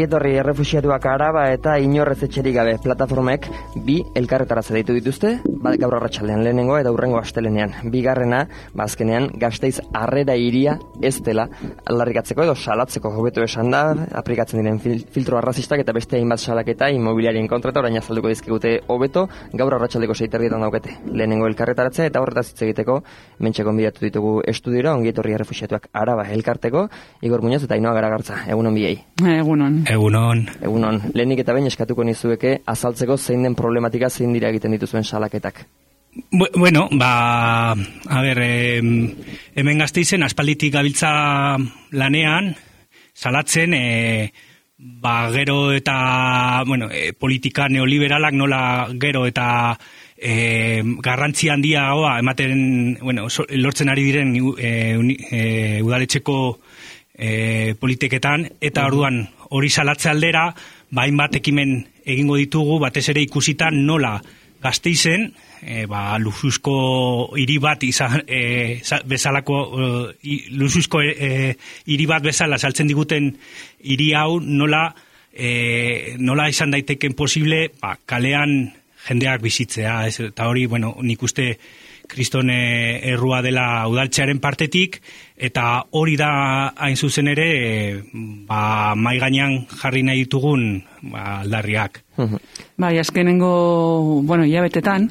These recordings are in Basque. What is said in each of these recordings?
Ongietorri errefuxiatuak Araba eta inorrez etxerik gabe plataformek bi elkarretaratze deitu dituzte, gaur arratsaldean lehenengoa eta hurrengo astelenean. Bigarrena, azkenean Gasteiz harrera hiria ez dela aldarrikatzeko edo salatzeko hobeto esan da, aplikatzen diren filtro arrazistak eta beste hainbat salaketa inmobiliarien kontra eta orain azalduko dizkigute hobeto gaur arratsaldeko 6:30 daukete. Lehenengo elkarretaratze eta horretaz hitz egiteko mentxe gonbidatu ditugu estudiora Ongietorri errefuxiatuak Araba elkarteko Igor Muñoz eta Ainhoa Garagartza. Egunon biei. Egunon. Lehenik eta behin eskatuko nizueke azaltzeko zein den problematika, zein dira egiten dituzuen salaketak. Bueno, hemen Gasteizen aspalditik gabiltza lanean, salatzen, gero eta, politika neoliberalak nola gero eta garrantzi handiagoa ematen, lortzen ari diren udaletxeko politiketan, eta orduan hori salatze aldera, hainbat ekimen egingo ditugu, batez ere ikusitan nola Gasteizen, luzuzko hiri bat bezalako, luzuzko hiri bat bezala saltzen diguten hiri hau nola izan daiteken posible, kalean jendeak bizitzea, eta hori, nik uste kriston errua dela udaltzearen partetik, eta hori da hain zuzen ere mai gainean jarri nahi ditugun aldarriak. Azkenengo, hilabetetan,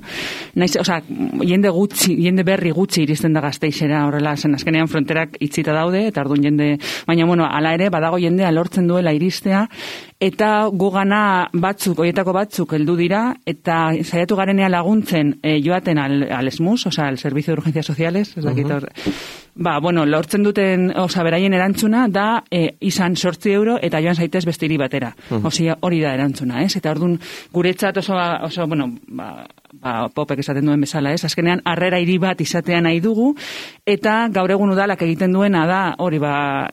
jende berri gutxi iristen da Gasteizera horrela, zen azkenean fronterak itzita daude, eta orduan jende, baina, hala ere, badago jendea lortzen duela iristea, eta gugana horietako batzuk heldu dira, eta saiatu garenean laguntzen joaten al SMUS, al Servicio de Urgencias Sociales, lortzen duten, beraien erantzuna da izan 8 euro eta joan zaitez beste hiri batera. Hori da erantzuna, ez? Eta orduan guretzat oso Popek esaten duen bezala, ez? Azkenean harrera hiri bat izatea nahi dugu, eta gaur egun udalak egiten duena da, hori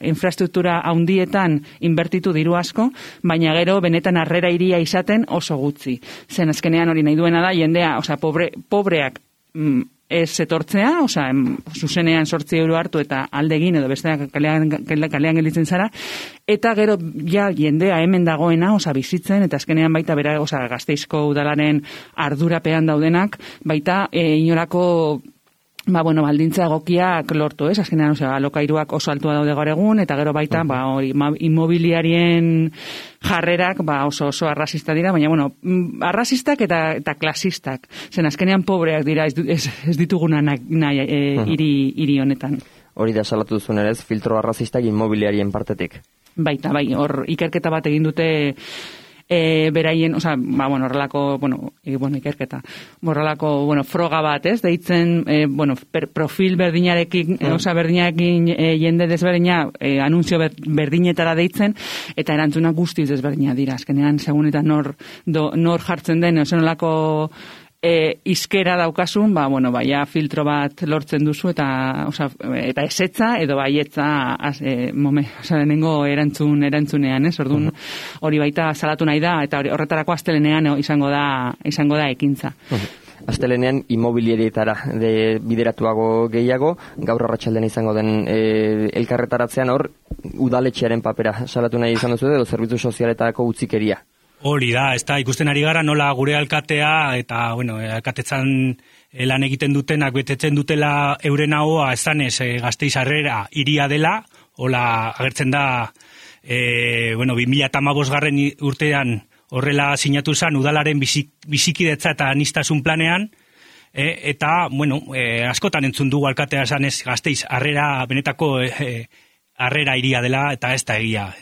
infrastruktura handietan inbertitu diru asko, baina gero benetan harrera hiria izaten oso gutxi. Zen azkenean hori nahi duena da, jendea, pobreak ez etortzea, zuzenean 8 euro hartu eta aldegin edo besteak kalean gelditzen zara, eta gero jendea hemen dagoena, bizitzen, eta azkenean baita bera, Gasteizko udalaren ardurapean daudenak, baita inolako baldintza egokiak lortu, ez? Azkenean, alokairuak oso altua daude gaur egun, eta gero baita, inmobiliarien jarrerak, oso arrazista dira, baina, arrazistak eta klasistak. Zen, azkenean pobreak dira, ez dituguna nahi hiri honetan. Hori da salatu duzun ere, filtro arrazistak inmobiliarien partetik. Baita, hor ikerketa bat egin dute beraien, horrelako, ikerketa, horrelako, froga bat, ez, deitzen, profil berdinarekin, berdinarekin jende desberdina, anunzio berdinetara deitzen, eta erantzuna guztiz desberdina dira, azkenean, segun eta nor jartzen den, osenolako izkera daukasun, filtro bat lortzen duzu eta esetza edo baietza lehenengo erantzunean, ez? Orduan hori baita salatu nahi da eta horretarako astelenean izango da ekintza. Astelenean inmobiliarietara bideratuago gehiago, gaur arratsaldean izango den elkarretaratzean hor udaletxearen papera salatu nahi izan duzu edo zerbitzu sozialetako utzikeria. Hori da, ez da, ikusten ari gara nola gure alkatea eta, alkatetzan lan egiten dutenak betetzen dutela euren ahoa esanez Gasteiz harrera hiria dela, hola agertzen da, 2015 urtean horrela sinatu zen udalaren bizikidetza eta anistasun planean, eta, askotan entzun dugu alkatea esanez Gasteiz harrera, benetako harrera hiria dela, eta ez da egia,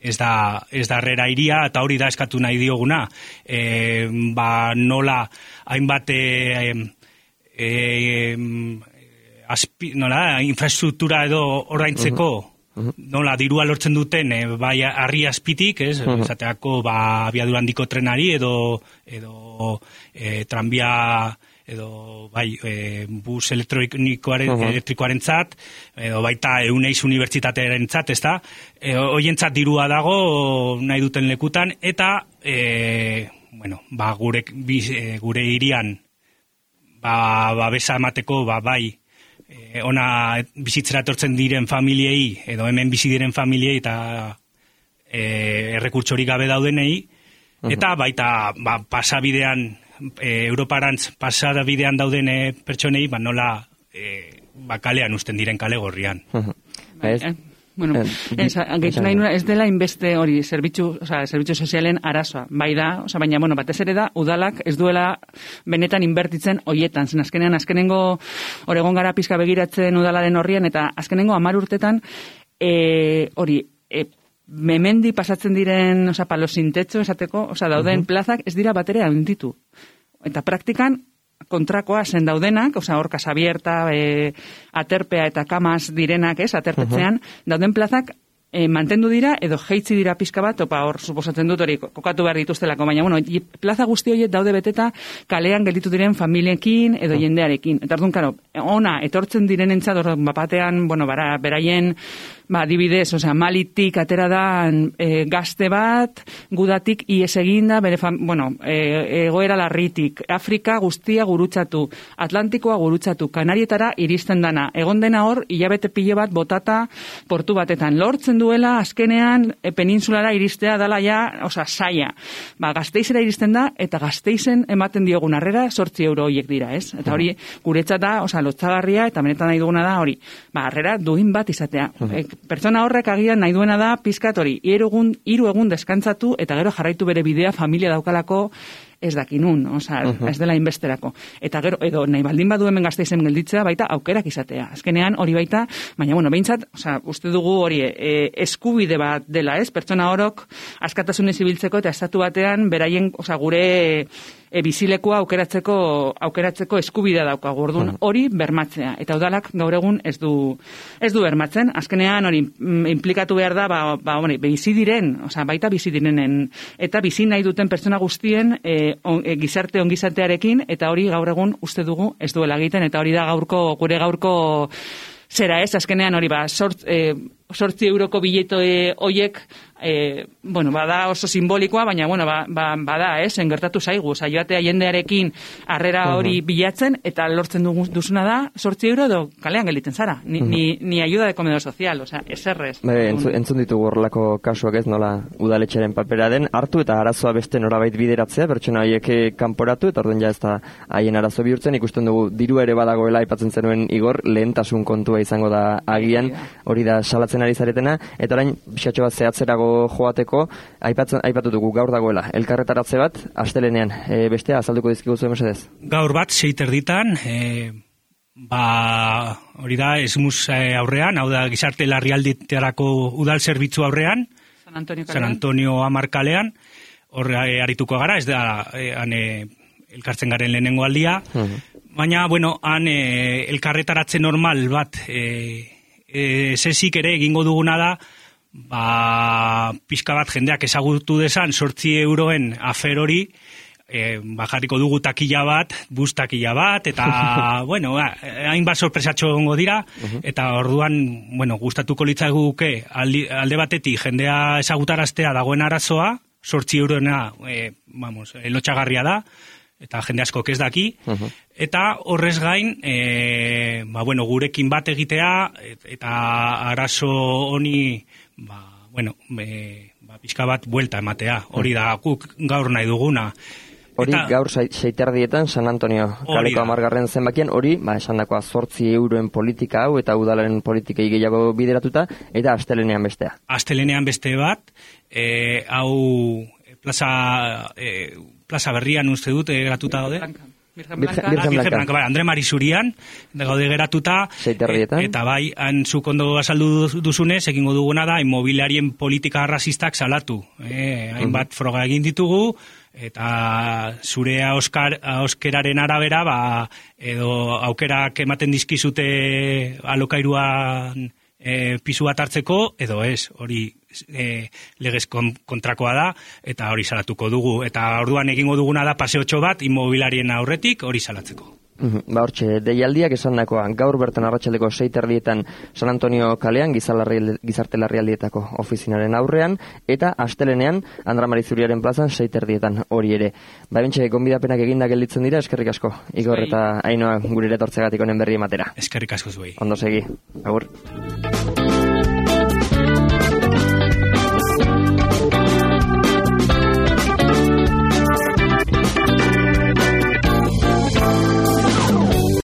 ez da harrera hiria, eta hori da eskatu nahi dioguna. Nola hainbat infrastruktura edo ordaintzeko, nola dirua lortzen duten harri azpitik, ez? Esateako abiadura handiko trenari edo tranbia edo bus elektrikoarentzat, edo baita Euneiz unibertsitatearentzat, ezta? Hoientzat dirua dago nahi duten lekutan, eta gure hirian babesa emateko ona bizitzera etortzen diren familiei, edo hemen bizi diren familiei, eta errekurtsorik gabe daudenei, eta baita pasabidean, Europarantz pasabidean dauden pertsonei, nola kalean usten diren kale gorrian. Bueno, gehitu nahi nuna, ez dela inbeste hori zerbitzu sozialen arazoa, bai da, baina, batez ere da, udalak ez duela benetan inbertitzen hoietan, zen azkenengo Oregon gara pizka begiratzen udalaren horrian, eta azkenengo 10 urtetan, memendi pasatzen diren, palosintetxo esateko, dauden plazak ez dira batere handitu. Eta praktikan, kontrakoa zen daudenak, hor kasabierta, aterpea eta kamaz direnak, aterpetzean, dauden plazak mantendu dira edo jeitzi dira pizka bat, hor suposatzen dut hori kokatu behar dituztelako, baina plaza guzti horiek daude beteta kalean gelditu diren familiekin edo jendearekin. Eta orduan, karo, ona etortzen direnentzat, bapatean, beraien adibidez, Malitik atera da gazte bat, gudatik ies eginda, egoera larritik, Afrika guztia gurutzatu, Atlantikoa gurutzatu, Kanarietara iristen dana, egon dena hor, hilabete pilo bat botata portu batetan, lortzen duela, azkenean, peninsulara iristea dala saia. Gazteizera iristen da, eta Gazteizen ematen diogun harrera, 8 euro horiek dira, ez? Eta hori, guretzat da, lotzagarria, eta benetan nahi duguna da, hori, harrera duin bat izatea. Pertsona horrek agian nahi duena da pizkat hori, 3 egun deskantzatu eta gero jarraitu bere bidea familia daukalako ez dakinun, ez dela inbesterako. Eta gero, edo nahi baldin badu hemen Gasteizen gelditzea, baita aukerak izatea. Azkenean hori baita, baina behintzat, uste dugu hori eskubide bat dela, ez? Pertsona horok askatasunez ibiltzeko eta estatu batean beraien, gure bizilekoa aukeratzeko eskubidea daukagu. Orduan hori bermatzea. Eta udalak gaur egun ez du bermatzen. Azkenean hori implikatu behar da, bizi diren, baita bizi direnen, eta bizi nahi duten pertsona guztien gizarte ongizatearekin, eta hori gaur egun uste dugu ez duela egiten, eta hori da gure gaurko zera ez, azkenean hori 8 euroko bileto hoiek, bada oso simbolikoa, baina, bada, engertatu zaigu, joatea jendearekin harrera hori bilatzen, eta lortzen duzuna da, 8 euro edo kalean gelditzen zara, ni ayuda de comedor social, eserrez. Entzun ditugu horrelako kasuak ez, nola udaletxeren papera den, hartu eta arazoa beste norabait bideratzea, pertsona horiek kanporatu, eta orduan ez da haien arazo bihurtzen, ikusten dugu diru ere badagoela aipatzen zenuen Igor, lehentasun kontua izango da agian, hori da salatzen ari zaretena, eta orain pixatxo bat zehatzerago joateko, aipatu dugu gaur dagoela, elkarretaratze bat, astelenean, bestea azalduko dizkigu zuen mesedez? Gaur bat, 6:30, hori da, esmuz aurrean, hau da, gizarte larrialdietarako udal zerbitzu aurrean, San Antonio Amarkalean, hor arituko gara, ez da, elkartzen garen lehenengo aldia, baina, han elkarretaratze normal bat, sesik ere egingo duguna da, pizka bat jendeak ezagutu desan 8 euroen afer hori, jarriko dugu takila bat, bus takila bat, eta, hainbat sorpresatxo gongo dira, eta orduan, gustatuko litzaiguke alde batetik jendea ezagutaraztea dagoen arazoa, 8 euroena, lotxagarria da, eta jende asko ez daki, eta horrez gain, gurekin bat egitea, eta arazo honi, pixka bat buelta ematea, hori da, guk gaur nahi duguna. Hori gaur 6:30 San Antonio kaleko 10. zenbakian, hori, esandakoa 8 euroen politika hau, eta udalaren politikei gehiago bideratuta, eta astelenean bestea. Astelenean beste bat, hau plaza berrian uste dut geratuta daude. Virgen Blanca, Andre Marizurian, gaude geratuta, eta bai, zuk ondo azaldu duzunez, egingo duguna da, inmobiliarien politika arrazistak salatu. Hainbat froga egin ditugu, eta zure auskeraren arabera, edo aukerak ematen dizkizute alokairuan pisu bat hartzeko, edo ez, hori legez kontrakoa da, eta hori salatuko dugu. Eta orduan egingo duguna da paseotxo bat, inmobiliarien aurretik hori salatzeko. Hortxe, deialdiak esandakoa, gaur bertan arratsaldeko 6:30 San Antonio kalean, gizarte larrialdietako ofizinaren aurrean, eta astelenean Andra Marizuriaren plazan 6:30 hori ere. Bentxe, gonbidapenak eginda gelditzen dira, eskerrik asko. Igor eta Ainhoa gure etortzegatik honen berri ematera. Eskerrik asko zuei. Ondo segi. Agur.